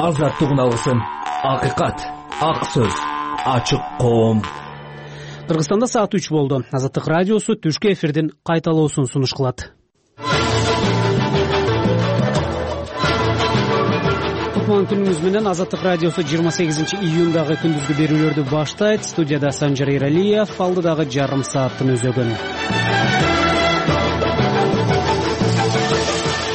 Азаттык алгысын, акыйкат, ак сөз, ачык коом. Кыргызстанда саат 3 болду. Азаттык радиосу түшкү эфирдин кайталоосун сунуш кылат. Кутман күнүңүз менен. Азаттык радиосу 28 июндагы күндүзгү берүүлөрдү баштайт. Студияда Санжар Эралиев, алдыдагы жарым сааттын өзөгүн.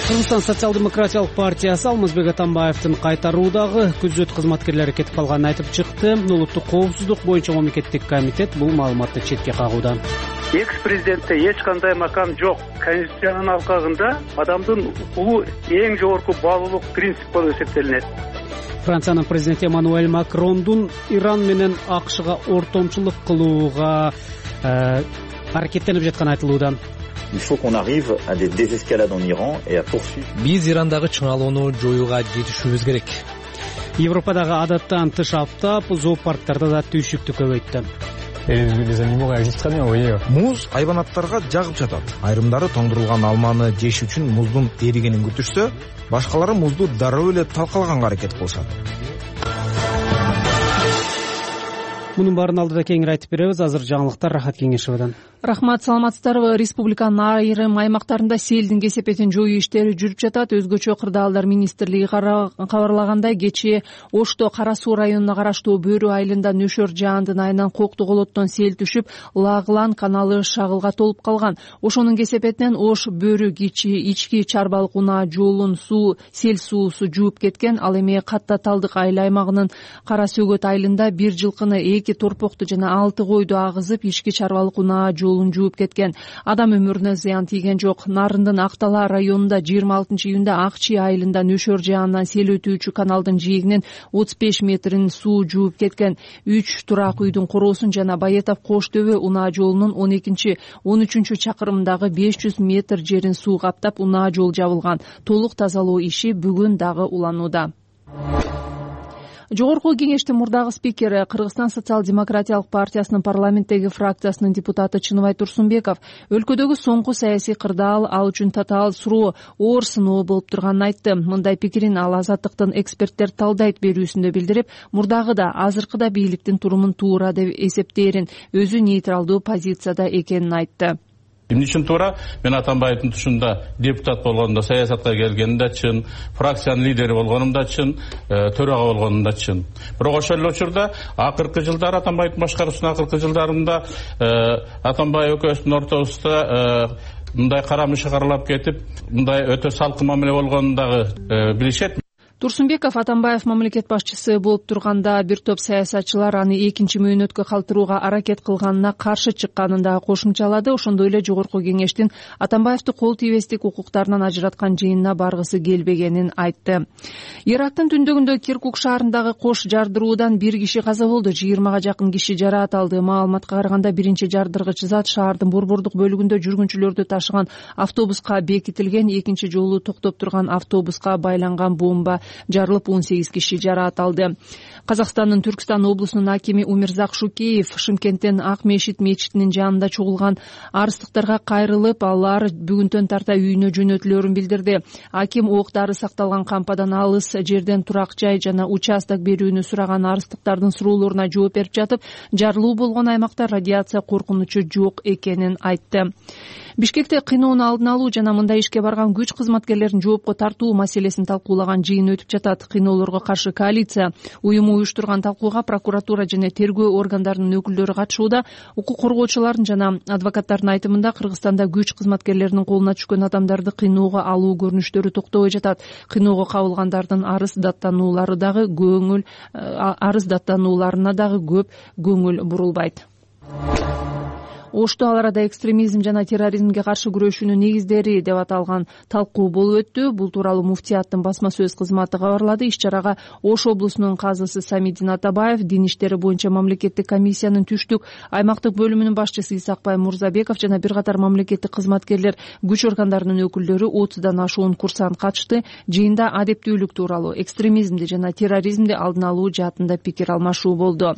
Кыргызстан социал-демократиялык партиясы Алмазбек Атамбаевдин кайтаруудагы күзөт кызматкерлери кетип калганын айтып чыкты. Улуттук коопсуздук боюнча мамлекеттик комитет бул маалыматты четке кагууда. Экс-президентте эч кандай макам жок. Конституциянын алкагында адамдын укугу эң жогорку баалуулук принцип болуп эсептелинет. Франциянын президенти Эммануэль Макрондун Иран менен АКШга ортомчулук кылууга аракеттенип жатканы айтылууда. Il faut qu'on arrive à des désescalades en Iran et à poursuivre. Биз Ирандагы чыңалууну жоюуга жетишүүбүз керек. Европадагы адаттан тыш аптап зоопарктарда да түйшүктү көбөйттү. Les animaux réagissent très bien, vous voyez. Муз айванаттарга жагып жатат. Айрымдары тоңдурулган алманы жеш үчүн муздун эригенин күтүшсө, башкалары музду дароо эле талкалаганга аракет кылышат. Мунун баарын алдыда кеңири айтып беребиз. Азыр жаңылыктар Рахат Кеңешевадан. Рахмат, саламатсыздарбы? Республиканын айрым аймактарында селдин кесепетин жоюу иштери жүрүп жатат. Өзгөчө кырдаалдар министрлиги кабарлагандай, кечээ Ошто Кара Суу районуна караштуу Бөрү айылында нөшөр жаандын айынан кокту колоттон сел түшүп, Лагылан каналы шагылга толуп калган. Ошонун кесепетинен Ош Бөрү ички чарбалык унаа жолун сел суусу жууп кеткен. Ал эми Катта Талдык айыл аймагынын Кара Сөгөт айылында бир жылкыны, 2 торпокту жана 6 койду агызып, ички чарбалык унаа жолун жууп кеткен. Адам өмүрүнө зыян тийген жок. Нарындын Актала районунда 26-июнда Акчи айылында нөшөр жаандан сел өтүүчү каналдын жээгинен 35 метрин суу жууп кеткен. 3 турак үйдүн короосун жана Баятов Кош Төбө унаа жолунун 12-13 чакырымдагы 500 метр жерин суу каптап, унаа жол жабылган. Толук тазалоо иши бүгүн дагы уланууда. Жогорку кеңештин мурдагы спикери, Кыргызстан социал-демократиялык партиясынын парламенттеги фракциясынын депутаты Чыныбай Турсунбеков өлкөдөгү соңку саясий кырдаал ал үчүн татаал суроо, оор сыноо болуп турганын айтты. Мындай пикирин ал Азаттыктын эксперттер талдайт берүүсүндө билдирип, мурдагы да азыркы да бийликтин турумун туура деп эсептээрин, өзү нейтралдуу позицияда экенин айтты. Эмне үчүн туура? Мен Атамбаевдин тушунда депутат болгондо, саясатка келгенде чын, фракциянын лидери болгонумда чын, төрага болгонумда чын. Бирок ошол эле учурда акыркы жылдары Атамбаевдин башкаруусунун акыркы жылдарында Атамбаев экөөбүздүн ортобузда мындай карамышы каралап кетип, мындай өтө салкын мамиле болгонун дагы билишет. Турсунбеков Атамбаев мамлекет башчысы болуп турганда бир топ саясатчылар аны экинчи мөөнөткө калтырууга аракет кылганына каршы чыкканын да кошумчалады. Ошондой эле жогорку кеңештин Атамбаевди кол тийбестик укуктарынан ажыраткан жыйынына баргысы келбегенин айтты. Ирактын түндөгүндө Киркук шаарындагы кош жардыруудан 1 киши каза болду, 20га жакын киши жараат алды. Маалыматка караганда биринчи жардыргыч зат шаардын борбордук бөлүгүндө жүргүнчүлөрдү ташыган автобуска бекитилген, экинчи жолу токтоп турган автобуска байланган бомба жарылып 18 киши жараат алды. Казакстандын Түркстан облусунун акими Умирзак Шукеев Шымкенттен Ак Мешит мечитинин жанында чогулган арыстыктарга кайрылып, алар бүгүнтөн тарта үйүнө жөнөтүлөрүн билдирди. Аким октары сакталган кампадан алыс жерден турак жай жана участок берүүнү сураган арыстыктардын суроолоруна жооп берип жатып, жарылуу болгон аймакта радиация коркунучу жок экенин айтты. Бишкекте кыйноонун алдын алуу жана мындай ишке барган күч кызматкерлерин жоопко тартуу маселесин талкуулаган жыйын өтүп жатат. Кыйноолорго каршы коалиция уюму уюштурган талкууга прокуратура жана тергөө органдарынын өкүлдөрү катышууда. Укук коргоочулардын жана адвокаттардын айтымында Кыргызстанда күч кызматкерлеринин колуна түшкөн адамдарды кыйноого алуу көрүнүштөрү токтобой жатат. Кыйноого кабылгандардын арыз даттанууларына дагы көп көңүл бурулбайт. Ошто ал арада экстремизм жана терроризмге каршы күрөшүүнүн негиздери деп аталган талкуу болуп өттү. Бул тууралуу муфтияттын басма сөз кызматы кабарлады. Иш-чарага Ош облусунун казысы Самидин Атабаев, дин иштери боюнча мамлекеттик комиссиянын түштүк аймактык бөлүмүнүн башчысы Исакбай Мурзабеков жана бир катар мамлекеттик кызматкерлер, күч органдарынын өкүлдөрү 30дан ашуун курсант катышты. Жыйында адептүүлүк тууралуу, экстремизмди жана терроризмди алдын алуу жаатында пикир алмашуу болду.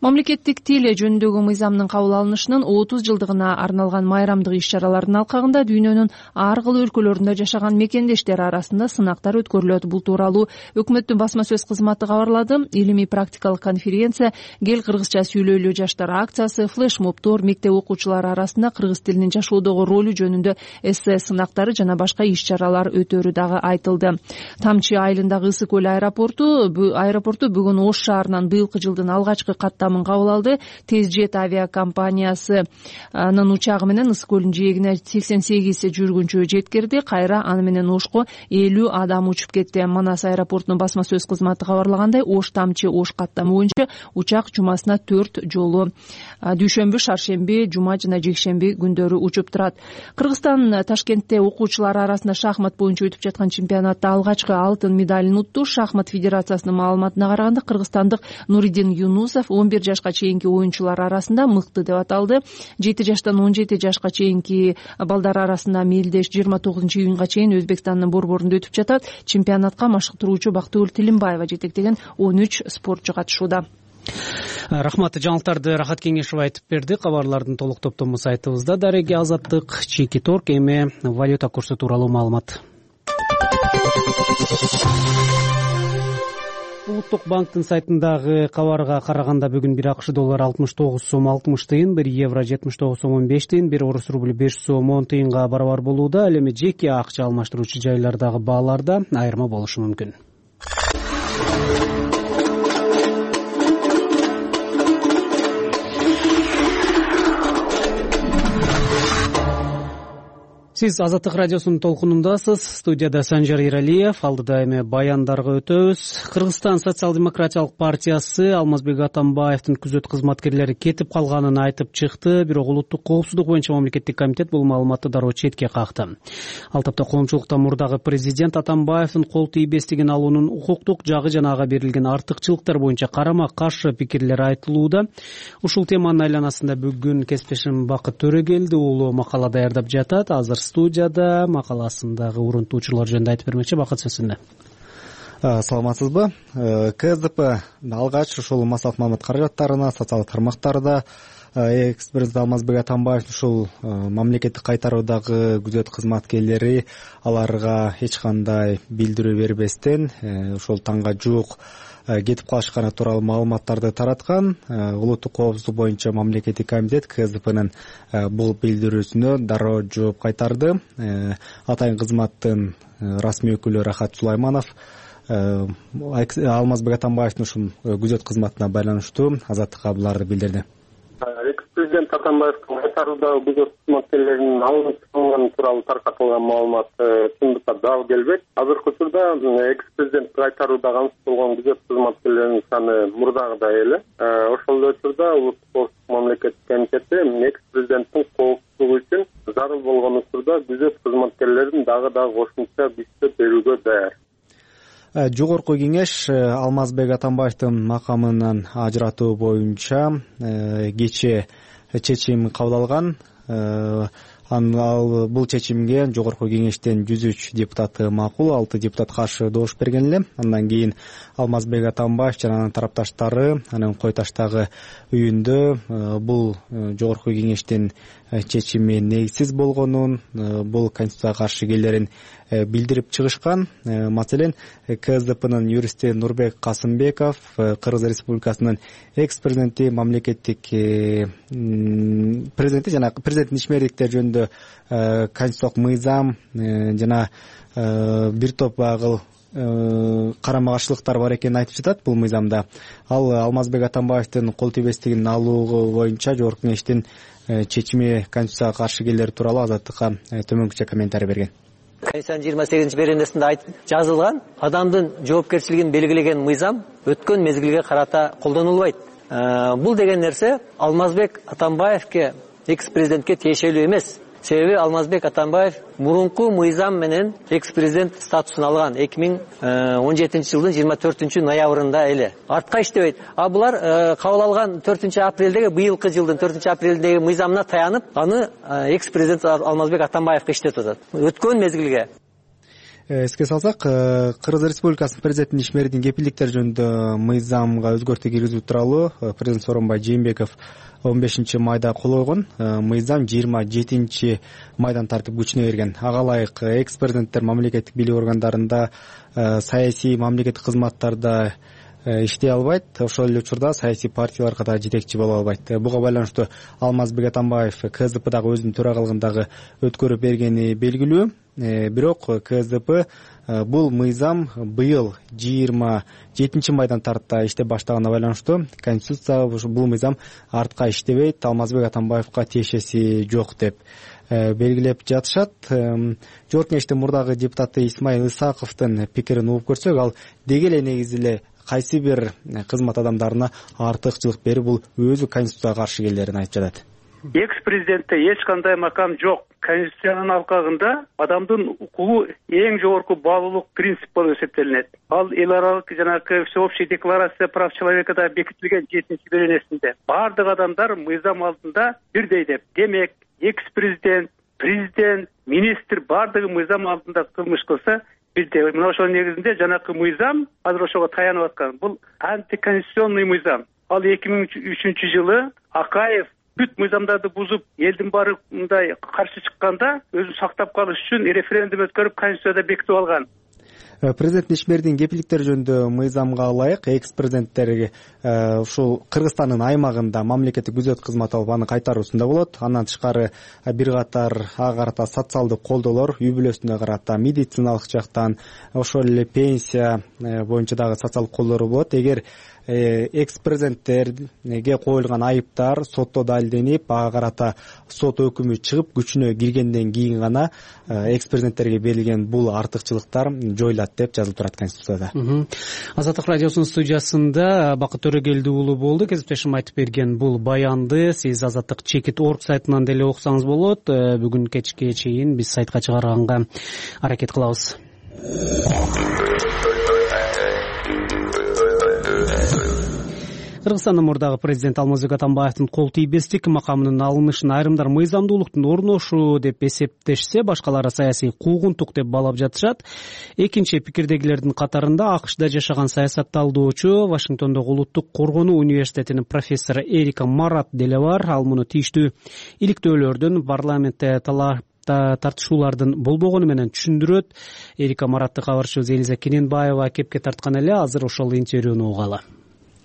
Мамлекеттик тил жөнүндөгү мыйзамдын кабыл алынышынын 30 жылдыгына арналган майрамдык иш-чаралардын алкагында дүйнөнүн ар кыл өлкөлөрүндө жашаган мекендештер арасында сынактар өткөрүлөт. Бул тууралуу өкмөттүн басма сөз кызматы кабарлады. Илимий практикалык конференция, Кел кыргызча сүйлөйлү жаштар акциясы, флешмобдор, мектеп окуучулары арасында кыргыз тилинин жашоодогу ролу жөнүндө эссе сынактары жана башка иш-чаралар өтөрү дагы айтылды. Тамчы айылындагы Ысык көл аэропорту бүгүн Ош шаарынан быйылкы жылдын алгачкы каттамын кабыл алды. Тезжет авиакомпаниясынын учагы менен Ысык көлдүн жээгине 88 жүргүнчү жеткирди. Кайра аны менен Ошко 50 адам учуп кетти. Манас аэропортунун басма сөз кызматы кабарлагандай, Ош Тамчы Ош каттамы боюнча учак жумасына 4 жолу дүйшөмбү, шаршемби, жума жана жекшемби күндөрү учуп турат. Кыргызстан Ташкентте окуучулар арасында шахмат боюнча өтүп жаткан чемпионатта алгачкы алтын медалын утту. Шахмат федерациясынын маалыматына караганда, кыргызстандык Нуридин Юнусов 11 жашка чейинки оюнчулар арасында мыкты деп аталды. 7 жаштан 17 жашка чейинки балдар арасында мелдеш 29-июнга чейин Өзбекстандын борборунда өтүп жатат. Чемпионатка машыктыруучу Бактыгүл Тилимбаева жетектеген 13 спортчу катышууда. Рахмат. Жаңылыктарды Рахат Кеңешов айтып берди. Кабарлардын толук топтому сайтыбызда. Дареги Азаттык, Чеки Торг, эми валюта курсу тууралуу маалымат. Улуттук банктын сайтындагы кабарга караганда бүгүн 1 АКШ доллары 69 сом 60 тыйын, 1 евро 79 сом 15 тыйын, 1 орус рубль 5 сом 10 тыйынга барабар болууда. Ал эми жеке акча алмаштыруучу жайлардагы бааларда айырма болушу мүмкүн. Сиз Азаттык радиосунун толкунундасыз. Студияда Санжар Иралиев. Алдыда эми баяндарга өтөбүз. Кыргызстан социал-демократиялык партиясы Алмазбек Атамбаевдин күзөт кызматкерлери кетип калганын айтып чыкты. Бирок улуттук коопсуздук боюнча мамлекеттик комитет бул маалыматты дароо четке какты. Ал тапта коомчулукта мурдагы президент Атамбаевдин кол тийбестигин алуунун укуктук жагы жана ага берилген артыкчылыктар боюнча карама-каршы пикирлер айтылууда. Ушул теманын айланасында бүгүн кесиптешим Бакыт Төрөгелди уулу макала даярдап жатат. Азыр студияда макаласындагы урунтуучулар жөнүндө айтып бермекчи. Бакыт, сөзүндө. Саламатсызбы? КСДП алгач ушул массалык маалымат каражаттарына, социалдык тармактарда экс-президент Алмазбек Атамбаев ушул мамлекеттик кайтаруудагы күзөт кызматкерлери аларга эч кандай билдирүү бербестен ушул таңга жуук кетип калышканы тууралуу маалыматтарды тараткан. Улуттук коопсуздук боюнча мамлекеттик комитет КСДПнын бул билдирүүсүнө дароо жооп кайтарды. Атайын кызматтын расмий өкүлү Рахат Сулайманов Алмазбек Атамбаевдин ушул күзөт кызматына байланыштуу Азаттыкка буларды билдирди. Экс-президент Атамбаевдин кайтаруудагы күзөт кызматкерлеринин алынып чыгылганы тууралуу таркатылган маалымат чындыкка дал келбейт. Азыркы учурда экс-президент кайтарууда кансыз болгон күзөт кызматкерлеринин саны мурдагыдай эле. Ошол учурда улуттук коопсуздук мамлекеттик комитети экс-президенттин коопсуздугу үчүн зарыл болгон учурда күзөт кызматкерлерин дагы кошумча күчтө берүүгө даяр. Жогорку кеңеш Алмазбек Атамбаевдин макамынан ажыратуу боюнча кечээ чечим кабыл алган. Ал бул чечимге жогорку кеңештен 103 депутаты макул, 6 депутат каршы добуш берген эле. Андан кийин Алмазбек Атамбаев жана анын тарапташтары анын Кой таштагы үйүндө бул жогорку кеңештин чечими негизсиз болгонун, бул конституцияга каршы келерин билдирип чыгышкан. Маселен, КСДПнын юристи Нурбек Касымбеков Кыргыз Республикасынын экс-президенти, мамлекеттик президенти жана президенттин ишмердиктери жөнүндө конституциялык мыйзам жана бир топ агыл карама-каршылыктар бар экенин айтып жатат бул мыйзамда. Ал Алмазбек Атамбаевдин кол тийбестигин алуу боюнча жогорку кеңештин чечими конституцияга каршы келери тууралуу Азаттыкка төмөнкүчө комментарий берген. Конституциянын 28-беренесинде жазылган адамдын жоопкерчилигин белгилеген мыйзам өткөн мезгилге карата колдонулбайт. Бул деген нерсе Алмазбек Атамбаевке, экс-президентке тиешелүү эмес. Себеби Алмазбек Атамбаев мурунку мыйзам менен экс-президент статусун алган 2017-жылдын 24 ноябрында эле. Артка иштебейт. А булар кабыл алган 4 апрелдеги, быйылкы жылдын 4 апрелдеги мыйзамына таянып, аны экс-президент Алмазбек Атамбаевге иштетип атат. Өткөн мезгилге. Эске салсак, Кыргыз Республикасынын президентинин ишмердин кепилдиктери жөнүндө мыйзамга өзгөртүү киргизүү тууралуу президент Сооронбай Жээнбеков 15 майда кол койгон. Мыйзам 27 майдан тартып күчүнө кирген. Ага ылайык экс-президенттер мамлекеттик бийлик органдарында, саясий мамлекеттик кызматтарда иштей албайт, ошол эле учурда саясий партияларга да жетекчи боло албайт. Буга байланыштуу Алмазбек Атамбаев КСДПдагы өзүнүн төрагалыгындагы өткөрүп бергени белгилүү. Бирок КСДП бул мыйзам быйыл 27 майдан тарта иштеп баштаганына байланыштуу Конституция бул мыйзам артка иштебейт, Алмазбек Атамбаевга тиешеси жок деп белгилеп жатышат. Жогорку Кеңештин мурдагы депутаты Исмаил Исаковдун пикирин угуп көрсөк, ал деги эле негизи эле кайсы бир кызмат адамдарына артыкчылык берип, бул өзү Конституцияга каршы келерин айтып жатат. Экс-президентте эч кандай макам жок. Конституциянын алкагында адамдын укугу эң жогорку баалуулук принцип болуп эсептелинет. Ал эл аралык жанагы всеобщая декларация прав человека да бекитилген 7-чи беренесинде. Бардык адамдар мыйзам алдында бирдей деп. Демек, экс-президент, президент, министр бардыгы мыйзам алдында кылмыш кылса бирдей. Мына ошол негизинде жанагы мыйзам азыр ошого таянып аткан. Бул антиконституционный мыйзам. Ал 2003-жылы Акаев бүт мыйзамдарды бузуп, элдин баары мындай каршы чыкканда өзүн сактап калыш үчүн референдум өткөрүп Конституцияда бекитип алган. Президент ишмердин кепилдиктери жөнүндө мыйзамга ылайык экс-президенттерге ушул Кыргызстандын аймагында мамлекеттик күзөт кызмат алып аны кайтаруусунда болот. Андан тышкары бир катар ага карата социалдык колдоолор, үй бүлөсүнө карата медициналык жактан, ошол эле пенсия боюнча дагы социалдык колдоолор болот. Эгер экс-президенттерге коюлган айыптар сотто далилденип, ага карата сот өкүмү чыгып күчүнө киргенден кийин гана экс-президенттерге берилген бул артыкчылыктар жоюлат деп жазылып турат Конституцияда. Азаттык радиосунун студиясында Бакыт Төрөгелди уулу болду. Кесиптешим айтып берген бул баянды сиз Азаттык чекит орг сайтынан деле окусаңыз болот. Бүгүн кечке чейин биз сайтка чыгарганга аракет кылабыз. Кыргызстандын мурдагы президент Алмазбек Атамбаевдин кол тийбестик макамынын алынышын айрымдар мыйзамдуулуктун орношу деп эсептешсе, башкалары саясий куугунтук деп баалап жатышат. Экинчи пикирдегилердин катарында АКШда жашаган саясатталдоочу, Вашингтондогу Улуттук коргонуу университетинин профессору Эрика Марат деле бар. Ал муну тийиштүү иликтөөлөрдүн парламентте тартышуулардын болбогону менен түшүндүрөт. Эрика Маратты кабарчыбыз Элиза Кененбаева кепке тарткан эле. Азыр ошол интервьюну угалы.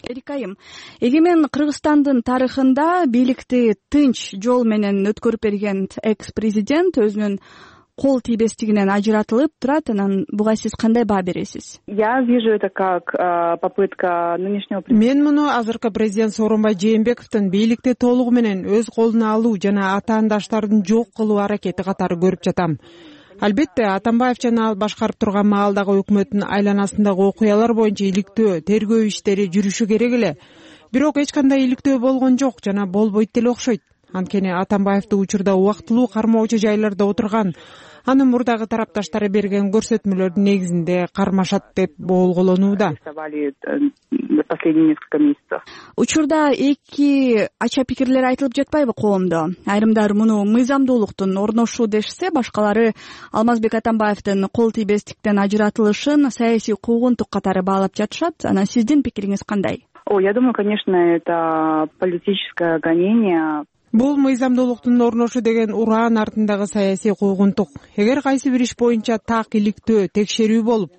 Эрикайым, эгемен Кыргызстандын тарыхында бийликти тынч жол менен өткөрүп берген экс-президент өзүнүн кол тийбестигинен ажыратылып турат. Анан буга сиз кандай баа бересиз? Я вижу это как попытка нынешнего президента. Мен муну азыркы президент Сооронбай Жээнбековдун бийликти толугу менен өз колуна алуу жана атаандаштардын жок кылуу аракети катары көрүп жатам. Албетте, Атамбаев жана ал башкарып турган маалдагы өкмөттүн айланасындагы окуялар боюнча иликтөө, тергөө иштери жүрүшү керек эле. Бирок эч кандай иликтөө болгон жок жана болбойт деле окшойт. Анткени Атамбаевди учурда убактылуу кармоочу жайларда отурган, анын мурдагы тарапташтары берген көрсөтмөлөрдүн негизинде кармашат деп боолголонууда. Учурда эки ача пикирлер айтылып жатпайбы коомдо? Айрымдар муну мыйзамдуулуктун орношу дешсе, башкалары Алмазбек Атамбаевдин кол тийбестиктен ажыратылышын саясий куугунтук катары баалап жатышат. Анан сиздин пикириңиз кандай? Я думаю, конечно, это политическое гонение. Бул мыйзамдуулуктун орношу деген ураан артындагы саясий куугунтук. Эгер кайсы бир иш боюнча так иликтөө, текшерүү болуп,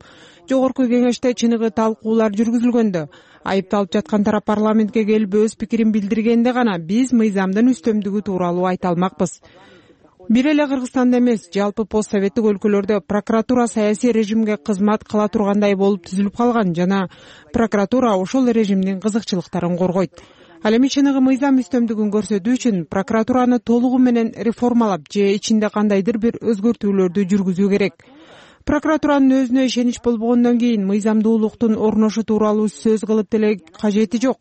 жогорку кеңеште чыныгы талкуулар жүргүзүлгөндө, айыпталып жаткан тарап парламентке келип өз пикирин билдиргенде гана биз мыйзамдын үстөмдүгү тууралуу айта алмакпыз. Бир эле Кыргызстанда эмес, жалпы постсоветтик өлкөлөрдө прокуратура саясий режимге кызмат кыла тургандай болуп түзүлүп калган жана прокуратура ошол режимдин кызыкчылыктарын коргойт. Ал эми чыныгы мыйзам үстөмдүгүн көрсөтүү үчүн прокуратураны толугу менен реформалап же ичинде кандайдыр бир өзгөртүүлөрдү жүргүзүү керек. Прокуратуранын өзүнө ишенич болбогондон кийин мыйзамдуулуктун орношу тууралуу сөз кылып деле кажети жок.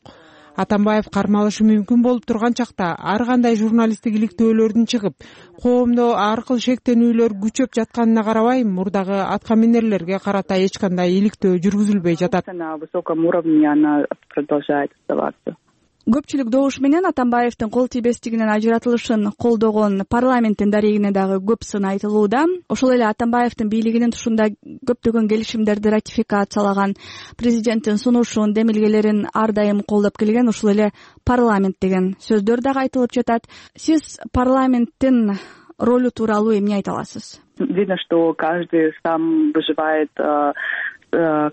Атамбаев кармалышы мүмкүн болуп турган чакта ар кандай журналисттик иликтөөлөрдүн чыгып, коомдо ар кыл шектенүүлөр күчөп жатканына карабай, мурдагы аткаминерлерге карата эч кандай иликтөө жүргүзүлбөй жатат. На высоком уровне она продолжает оставаться. көпчүлүк добуш менен Атамбаевдин кол тийбестигинен ажыратылышын колдогон парламенттин дарегине дагы көп сын айтылууда. Ошол эле Атамбаевдин бийлигинин тушунда көптөгөн келишимдерди ратификациялаган, президенттин сунушун, демилгелерин ар дайым колдоп келген ушул эле парламент деген сөздөр дагы айтылып жатат. Сиз парламенттин ролу тууралуу эмне айта аласыз? Видно, что каждый сам выживает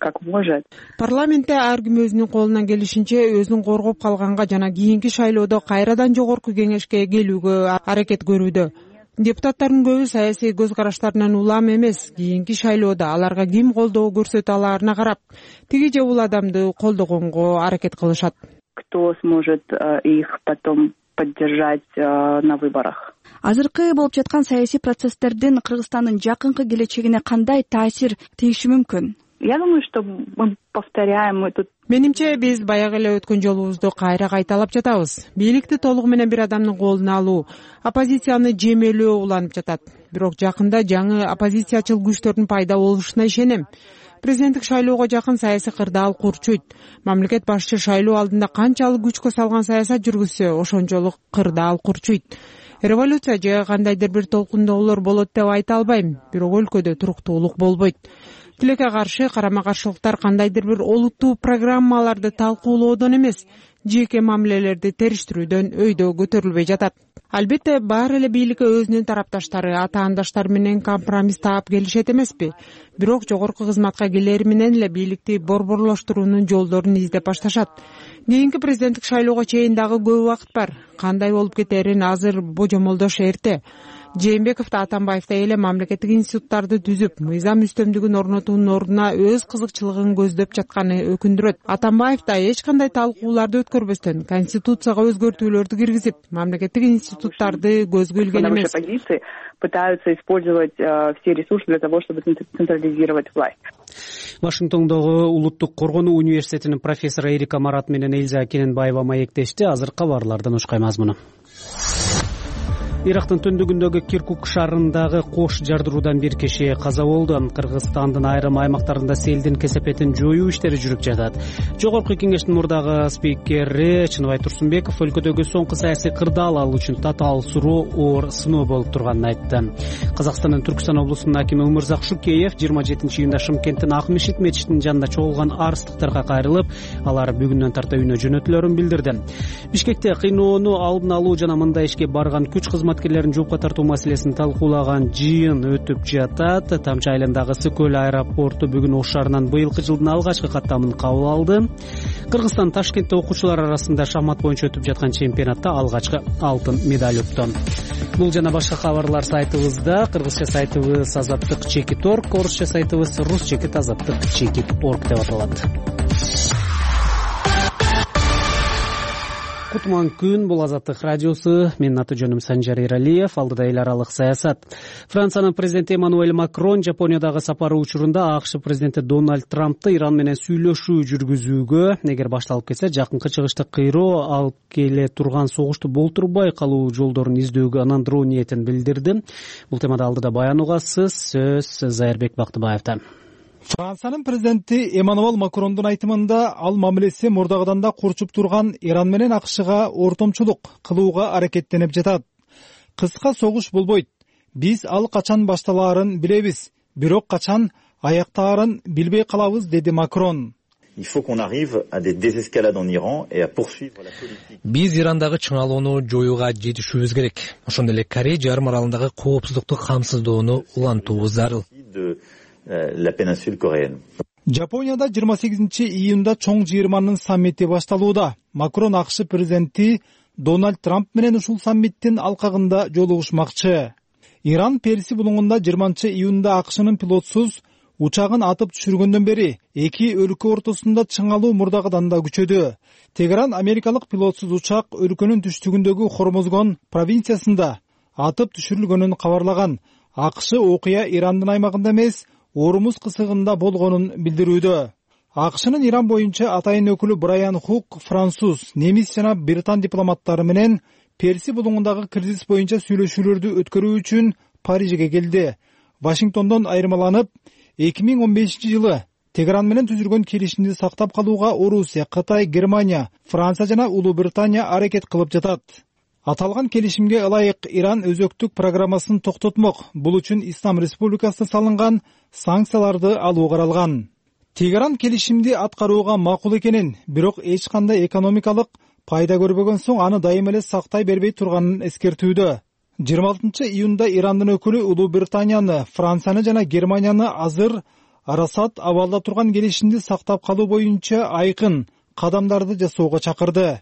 как может. Парламентте ар ким өзүнүн колунан келишинче өзүн коргоп калганга жана кийинки шайлоодо кайрадан жогорку кеңешке келүүгө аракет көрүүдө. Депутаттардын көбү саясий көз караштарынан улам эмес, кийинки шайлоодо аларга ким колдоо көрсөтө алаарына карап, тиги же бул адамды колдогонго аракет кылышат. Кто сможет их потом поддержать на выборах? Азыркы болуп жаткан саясий процесстердин Кыргызстандын жакынкы келечегине кандай таасир тийиши мүмкүн? Я думаю, что мы повторяем, мы тут. Менимче биз баягы эле өткөн жолубузду кайра кайталап жатабыз. Бийликти толугу менен бир адамдын колуна алуу, оппозицияны жемелөө уланып жатат. Бирок жакында жаңы оппозициячыл күчтөрдүн пайда болушуна ишенем. Президенттик шайлоого жакын саясий кырдаал курчуйт. Мамлекет башчы шайлоо алдында канчалык күчкө салган саясат жүргүзсө, ошончолук кырдаал курчуйт. Революция же кандайдыр бир толкундоолор болот деп айта албайм, бирок өлкөдө туруктуулук болбойт. Тилекке каршы карама-каршылыктар кандайдыр бир олуттуу программаларды талкуулоодон эмес, жеке мамилелерди териштирүүдөн өйдө көтөрүлбөй жатат. Албетте, баары эле бийликке өзүнүн тарапташтары, атаандаштары менен компромисс таап келишет эмеспи. Бирок жогорку кызматка келери менен эле бийликти борборлоштуруунун жолдорун издеп башташат. Кийинки президенттик шайлоого чейин дагы көп убакыт бар. Кандай болуп кетерин азыр божомолдош эрте. Жээнбеков да Атамбаевдей эле мамлекеттик институттарды түзүп, мыйзам үстөмдүгүн орнотуунун ордуна өз кызыкчылыгын көздөп жатканы өкүндүрөт. Атамбаев да эч кандай талкууларды өткөрбөстөн конституцияга өзгөртүүлөрдү киргизип, мамлекеттик институттарды көзгө илген эмес. Пытаются использовать все ресурсы для того, чтобы централизировать власть. Вашингтондогу Улуттук коргонуу университетинин профессору Эрика Марат менен Эльза Кененбаева маектешти. Азыр кабарлардан ушкай мазмуну. Ирактын түндүгүндөгү Киркук шаарындагы кош жардыруудан бир киши каза болду. Кыргызстандын айрым аймактарында селдин кесепетин жоюу иштери жүрүп жатат. Жогорку кеңештин мурдагы спикери Чыныбай Турсунбеков өлкөдөгү соңку саясий кырдаал ал үчүн татаал суроо оор сыноо болуп турганын айтты. Казакстандын Түркстан облусунун акими Өмүрзак Шукеев 27-июнда Шымкенттин Ак Мешит мечитинин жанында чогулган арыстыктарга кайрылып, алар бүгүндөн тарта үйүнө жөнөтүлөрүн билдирди. Бишкекте кыйноону алдын алуу жана мындай ишке барган күч кызматкерлерин жоопко тартуу маселесин талкуулаган жыйын өтүп жатат. Тамчы айылындагы Сы-Көл аэропорту бүгүн Ош шаарынан быйылкы жылдын алгачкы каттамын кабыл алды. Кыргызстан Ташкентте окуучулар арасында шахмат боюнча өтүп жаткан чемпионатта алгачкы алтын медаль укту. Бул жана башка кабарлар сайтыбызда. Кыргызча сайтыбыз azattik.org, орусча сайтыбыз rus-azattik.org деп аталат. Кутман күн, бул Азаттык радиосу. Менин аты жөнүм Санжар Иралиев. Алдыда эл аралык саясат. Франциянын президенти Эммануэль Макрон Жапониядагы сапары учурунда АКШ президенти Дональд Трампты Иран менен сүйлөшүү жүргүзүүгө, эгер башталып кетсе, жакынкы чыгышты кыйроо алып келе турган согушту болтурбай калуу жолдорун издөөгө ынандыруу ниетин билдирди. Бул темада алдыда баян угасыз. Сөз Зайырбек Бактыбаевда. Франциянын президенти Эммануэль Макрондун айтымында ал мамилеси мурдагыдан да курчуп турган Иран менен АКШга ортомчулук кылууга аракеттенип жатат. Кыска согуш болбойт. Биз ал качан башталаарын билебиз, бирок качан аяктаарын билбей калабыз, деди Макрон. Il faut qu'on arrive à des désescalades en Iran et à poursuivre la politique. Биз Ирандагы чыңалууну жоюуга жетишүүбүз керек. Ошондой эле Корей жарым аралындагы коопсуздукту камсыздоону улантуубуз зарыл. La péninsule coréenne. Жапонияда 28-июнда чоң жыйырманын саммити башталууда. Макрон АКШ президенти Дональд Трамп менен ушул саммиттин алкагында жолугушмакчы. Иран Перси булуңунда 20-июнда АКШнын пилотсуз учагын атып түшүргөндөн бери эки өлкө ортосунда чыңалуу мурдагыдан да күчөдү. Тегеран америкалык пилотсуз учак өлкөнүн түштүгүндөгү Хормозгон провинциясында атып түшүрүлгөнүн кабарлаган. АКШ окуя Ирандын аймагында эмес, Ормуз кысыгында болгонун билдирүүдө. АКШнын Иран боюнча атайын өкүлү Брайан Хук француз, немис жана британ дипломаттары менен Перси булуңундагы кризис боюнча сүйлөшүүлөрдү өткөрүү үчүн Парижге келди. Вашингтондон айырмаланып, 2015-жылы Тегеран менен түзүлгөн келишимди сактап калууга Орусия, Кытай, Германия, Франция жана Улуу Британия аракет кылып жатат. Аталган келишимге ылайык Иран өзөктүк программасын токтотмок. Бул үчүн Ислам Республикасына салынган санкцияларды алуу каралган. Тегеран келишимди аткарууга макул экенин, бирок эч кандай экономикалык пайда көрбөгөн соң аны дайыма эле сактай бербей турганын эскертүүдө. 26-июнда Ирандын өкүлү Улуу Британияны, Францияны жана Германияны азыр Арасат абалда турган келишимди сактап калуу боюнча айкын кадамдарды жасоого чакырды.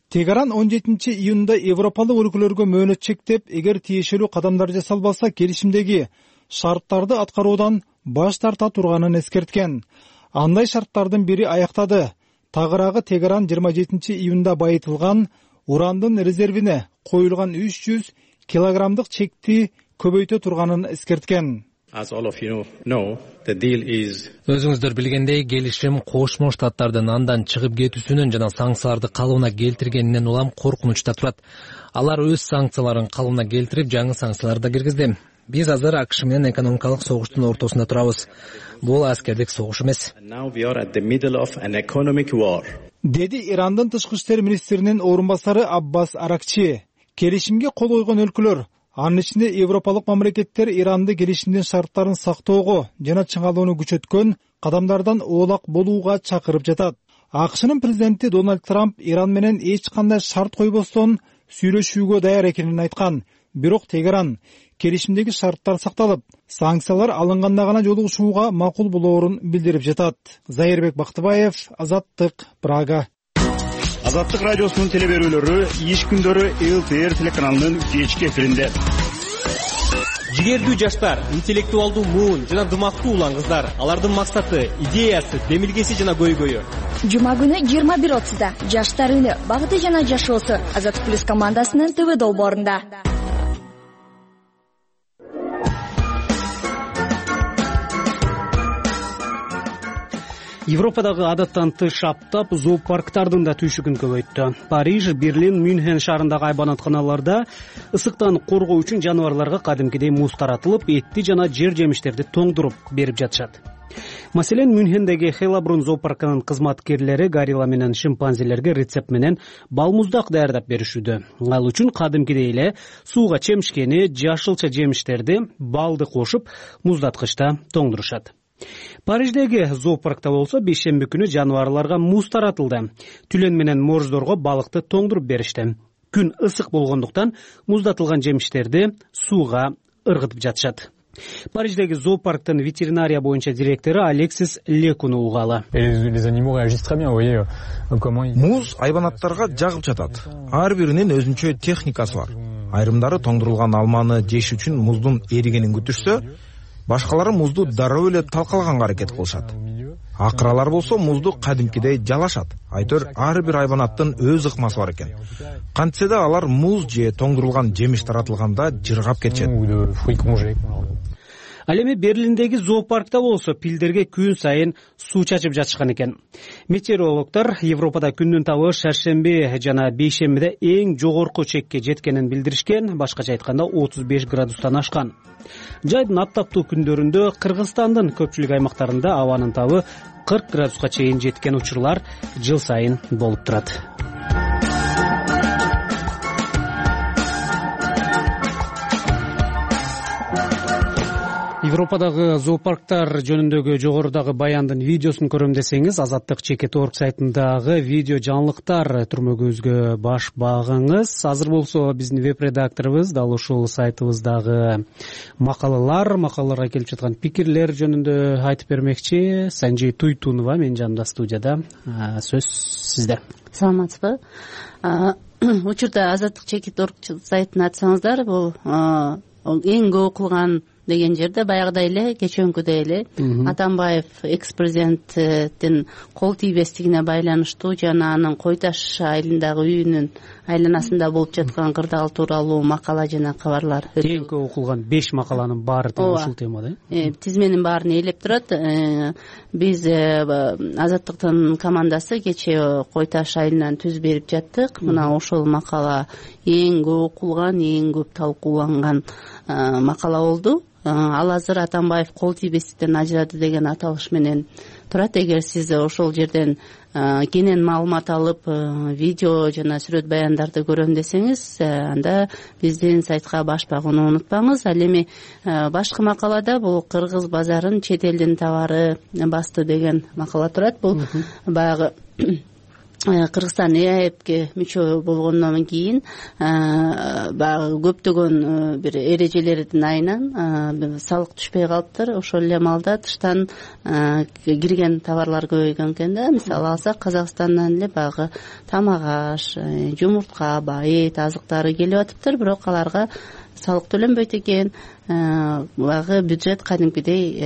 Тегеран 17-июнда европалык өлкөлөргө мөөнөт чектеп, эгер тиешелүү кадамдар жасалбаса, келишимдеги шарттарды аткаруудан баш тарта турганын эскерткен. Андай шарттардын бири аяктады. Тагыраагы Тегеран 27-июнда байытылган урандын резервине коюлган 300 килограммдык чекти көбөйтө турганын эскерткен. Өзүңүздөр билгендей, келишим Кошмо Штаттардын андан чыгып кетүүсүнөн жана санкцияларды калыбына келтиргенинен улам коркунучта турат. Алар өз санкцияларын калыбына келтирип, жаңы санкцияларды да киргизди. Биз азыр АКШ менен экономикалык согуштун ортосунда турабыз. Бул аскердик согуш эмес. Деди Ирандын тышкы иштер министринин орун басары Аббас Аракчи. Келишимге кол койгон өлкөлөр, анын ичинде европалык мамлекеттер Иранды келишимдин шарттарын сактоого жана чыңалууну күчөткөн кадамдардан оолак болууга чакырып жатат. АКШнын президенти Дональд Трамп Иран менен эч кандай шарт койбостон сүйлөшүүгө даяр экенин айткан. Бирок Тегеран келишимдеги шарттар сакталып, санкциялар алынганда гана жолугушууга макул болоорун билдирип жатат. Зайырбек Бактыбаев, Азаттык, Прага. Азаттык радиосунун телеберүүлөрү иш күндөрү ЛТР телеканалынын кечки эфиринде. Жигердүү жаштар, интеллектуалдуу муун жана дымактуу улан кыздар. Алардын максаты, идеясы, демилгеси жана көйгөйү. Жума күнү 21:30-да Жаштар үнү, багыты жана жашоосу Азаттык плюс командасынын ТВ долбоорунда. Европадагы адаттан тыш аптап зоопарктардын да түйшүгүн көбөйттү. Париж, Берлин, Мюнхен шаарындагы айбанаттаналарда ысыктан коргоо үчүн жаныбарларга кадимкидей муз таратылып, этти жана жер жемиштерди тоңдуруп берип жатышат. Маселен, Мюнхендеги Хейлабрун зоопаркынын кызматкерлери горилла менен шимпанзелерге рецепт менен балмуздак даярдап беришүүдө. Ал үчүн кадимкидей эле сууга чемишкени, жашылча жемиштерди, балды кошуп, муздаткычта тоңдурушат. Париждеги зоопаркта болсо бейшемби күнү жаныбарларга муз таратылды. Түлөн менен морждорго балыкты тоңдуруп беришти. Күн ысык болгондуктан муздатылган жемиштерди сууга ыргытып жатышат. Париждеги зоопарктын ветеринария боюнча директору Алексис Лекуну угалы. Муз айбанаттарга жагып жатат. Ар биринин өзүнчө техникасы бар. Айрымдары тоңдурулган алманы жеш үчүн муздун эригенин күтүшсө, башкалары музду дароо эле талкалаганга аракет кылышат. Акыралар болсо музду кадимкидей жалашат. Айтор ар бир айбанаттын өз ыкмасы бар экен. Кантсе да алар муз же тоңдурулган жемиш таратылганда жыргап кетишет. Ал эми Берлиндеги зоопаркта болсо пилдерге күн сайын суу чачып жатышкан экен. Метеорологдор Европада күндүн табы шаршемби жана бейшембиде эң жогорку чекке жеткенин билдиришкен, башкача айтканда 35 градустан ашкан. Жайдын аптаптуу күндөрүндө Кыргызстандын көпчүлүк аймактарында абанын табы 40 градуска чейин жеткен учурлар жыл сайын болуп турат. Европадагы зоопарктар жөнүндөгү жогорудагы баяндын видеосун көрөм десеңиз, Азаттык.org сайтындагы видео жаңылыктар түрмөгүбүзгө баш багыңыз. Азыр болсо биздин веб-редакторубуз дал ушул сайтыбыздагы макалаларга келип жаткан пикирлер жөнүндө айтып бермекчи. Санжей Туйтунова менин жанымда студияда. Сөз сизде. Саламатсызбы? Учурда Азаттык.org сайтын ачсаңыздар, бул эң көп окулган деген жерде баягыдай эле кечээкүдөй эле Атамбаев экс-президенттин кол тийбестигине байланыштуу жана анын Кой Таш айылындагы үйүнүн айланасында болуп жаткан кырдаал тууралуу макала жана кабарлар. Эң көп окулган 5 макаланын баары ушул темада. Тизменин баарын ээлеп турат. Биз Азаттыктын командасы кечээ Кой Таш айылынан түз берип жаттык. Мына ошол макала эң көп окулган, эң көп талкууланган макала болду. ал азыр Атамбаев кол тийбестиктен ажырады деген аталыш менен турат. Эгер сиз ошол жерден кенен маалымат алып видео жана сүрөт баяндарды көрөм десеңиз, анда биздин сайтка баш багууну унутпаңыз. Ал эми башкы макалада бул кыргыз базарын чет элдин товары басты деген макала турат. Бул баягы Кыргызстан ЭАЭПке мүчө болгондон кийин баягы көптөгөн бир эрежелердин айынан салык түшпөй калыптыр. Ошол эле маалда тыштан кирген товарлар көбөйгөн экен да. Мисалы алсак, Казакстандан эле баягы тамак аш, жумуртка, эт, азыктары келип атыптыр, бирок аларга салык төлөнбөйт экен. Баягы бюджет кадимкидей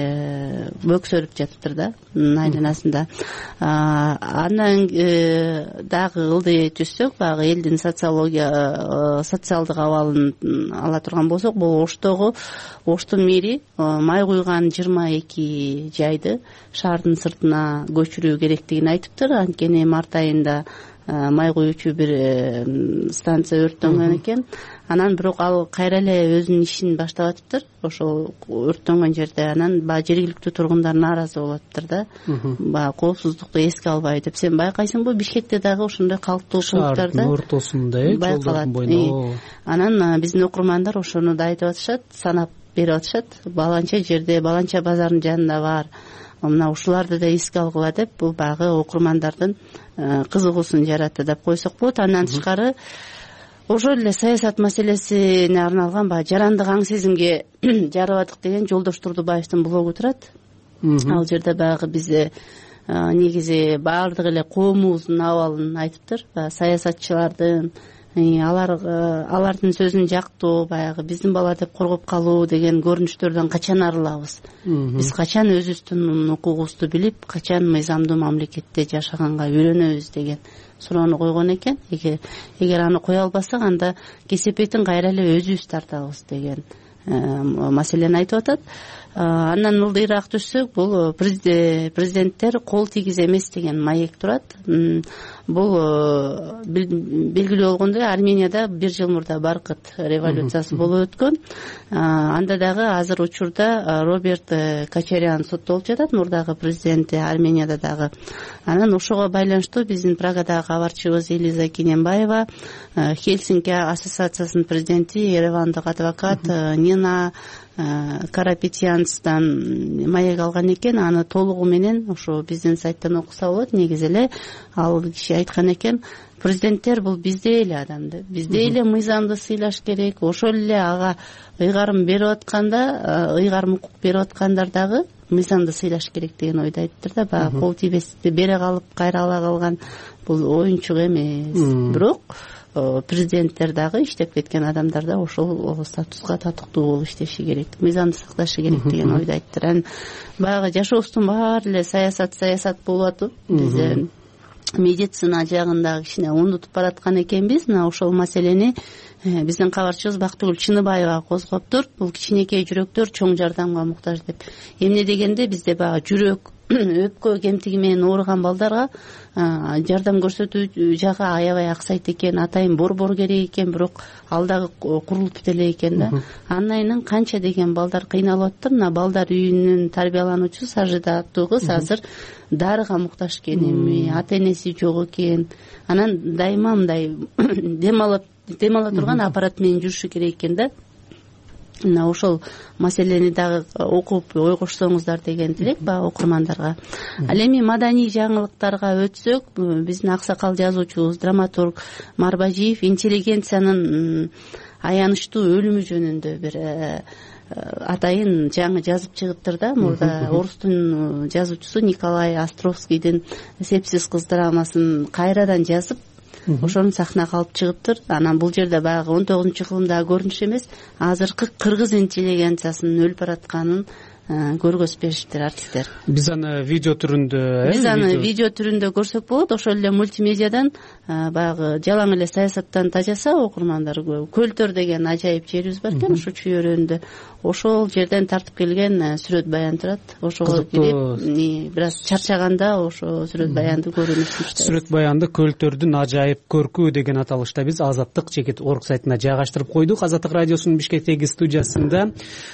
бөксөрүп жатыптыр да айланасында. Андан дагы ылдый түшсөк, баягы элдин социалдык абалын ала турган болсок, бул Оштун мэри май куйган 22 жайды шаардын сыртына көчүрүү керектигин айтыптыр. Анткени март айында май куючу бир станция өрттөнгөн экен. Анан бирок ал кайра эле өзүнүн ишин баштап атыптыр ошол өрттөнгөн жерде. Анан баягы жергиликтүү тургундар нааразы болуп атыптыр да. Баягы коопсуздукту эске албай деп. Сен байкайсыңбы, Бишкекте дагы ошондой калктуу пункттарда шаардын ортосунда жолдордун боюнда. Анан биздин окурмандар ошону да айтып атышат, санап берип атышат. Баланча жерде, баланча базарынын жанында бар. Мына ушуларды да эске алгыла деп, бул баягы окурмандардын кызыгуусун жаратты деп койсок болот. Андан тышкары ошол эле саясат маселесине арналган баягы жарандык аң сезимге жарыбадык деген Жолдош Турдубаевдин блогу турат. Ал жерде баягы бизде негизи баардык эле коомубуздун абалын айтыптыр. Саясатчылардын, алардын сөзүн жактоо, баягы биздин бала деп коргоп калуу деген көрүнүштөрдөн качан арылабыз? Биз качан өзүбүздүн укугубузду билип, качан мыйзамдуу мамлекетте жашаганга үйрөнөбүз деген суроону койгон экен. Эгер аны кое албасак, анда кесепетин кайра эле өзүбүз тартабыз деген маселени айтып атат. Андан ылдыйраак түшсөк, бул президенттер кол тийгиз эмес деген маек турат. Бул белгилүү болгондой, Арменияда 1 жыл мурда Баркыт революциясы болуп өткөн. Анда дагы азыр учурда Роберт Кочарян соттолуп жатат, мурдагы президенти Арменияда дагы. Анан ошого байланыштуу биздин Прагадагы кабарчыбыз Элиза Кененбаева, Хельсинки ассоциациясынын президенти, еревандык адвокат Нина Карапетянцдан маек алган экен. Аны толугу менен ошо биздин сайттан окуса болот. Негизи эле ал киши айткан экен, президенттер бул биздей эле адамды, биздей эле мыйзамды сыйлаш керек. Ошол эле ага ыйгарым берип атканда, ыйгарым укук берип аткандар дагы мыйзамды сыйлаш керек деген ойду айттыр да. Баягы кол тийбестикти бере калып кайра ала калган бул оюнчук эмес. Бирок президенттер дагы, иштеп кеткен адамдар да ошол статуска татыктуу болуп иштеши керек, мыйзамды сакташы керек деген ойду айттыр. Баягы жашообуздун баары эле саясат болуп атып, бизде медицина жагында кичине унутуп бараткан экенбиз. Мына ошол маселени биздин кабарчыбыз Бактыгүл Чыныбаева козгоптур. Бул кичинекей жүрөктөр чоң жардамга муктаж деп. Эмне дегенде бизде баягы жүрөк, өпкө кемтиги менен ооруган балдарга жардам көрсөтүү жагы аябай аксайт экен. Атайын борбор керек экен, бирок ал дагы курулуп бите элек экен да. Анайынан канча деген балдар кыйналып атыптыр. Мына балдар үйүнүн тарбиялануучусу Сажида аттуу кыз азыр дарыга муктаж экен, эми ата энеси жок экен. Анан дайыма мындай демала турган аппарат менен жүрүшү керек экен да. Мына ошол маселени дагы окуп ойгошсоңуздар деген тилек баягы окурмандарга. Ал эми маданий жаңылыктарга өтсөк, биздин аксакал жазуучубуз, драматург Марбажиев интеллигенциянын аянычтуу өлүмү жөнүндө бир атайын жаңы жазып чыгыптыр да. Мурда орустун жазуучусу Николай Островскийдин «Сепсиз кыз» драмасын кайрадан жазып, ошону сахнага алып чыгыптыр. Анан бул жерде баягы 19-кылымдагы көрүнүш эмес, азыркы кыргыз интеллигенциясынын өлүп баратканын көргөзүшпешиптир артисттер. Биз аны видео түрүндө биз аны видео түрүндө көрсөк болот. Ошол эле мультимедиадан баягы жалаң эле саясаттан тажаса окурмандар Көлтөр деген ажайып жерибиз бар экен ушу Чүй өрөөнүндө. Ошол жерден тартып келген сүрөт баян турат. Ошого кирип бир аз чарчаганда ошо сүрөт баянды көрүүнү сунуштайбыз. Сүрөт баянды Көлтөрдүн ажайып көркү деген аталышта биз Азаттык чекит орг сайтына жайгаштырып койдук. Азаттык радиосунун Бишкектеги студиясында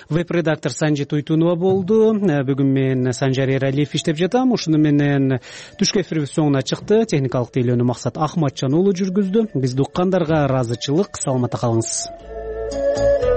веб-редактор Санжи Туйтунова болду. Бүгүн мен Санжар Эралиев иштеп жатам. Ушуну менен түшкү эфирибиз соңуна чыкты. Техникалык тейлөөнү Максат Ахматжан уулу жүргүздү. Бизди уккандарга ыраазычылык. Саламатта калыңыз.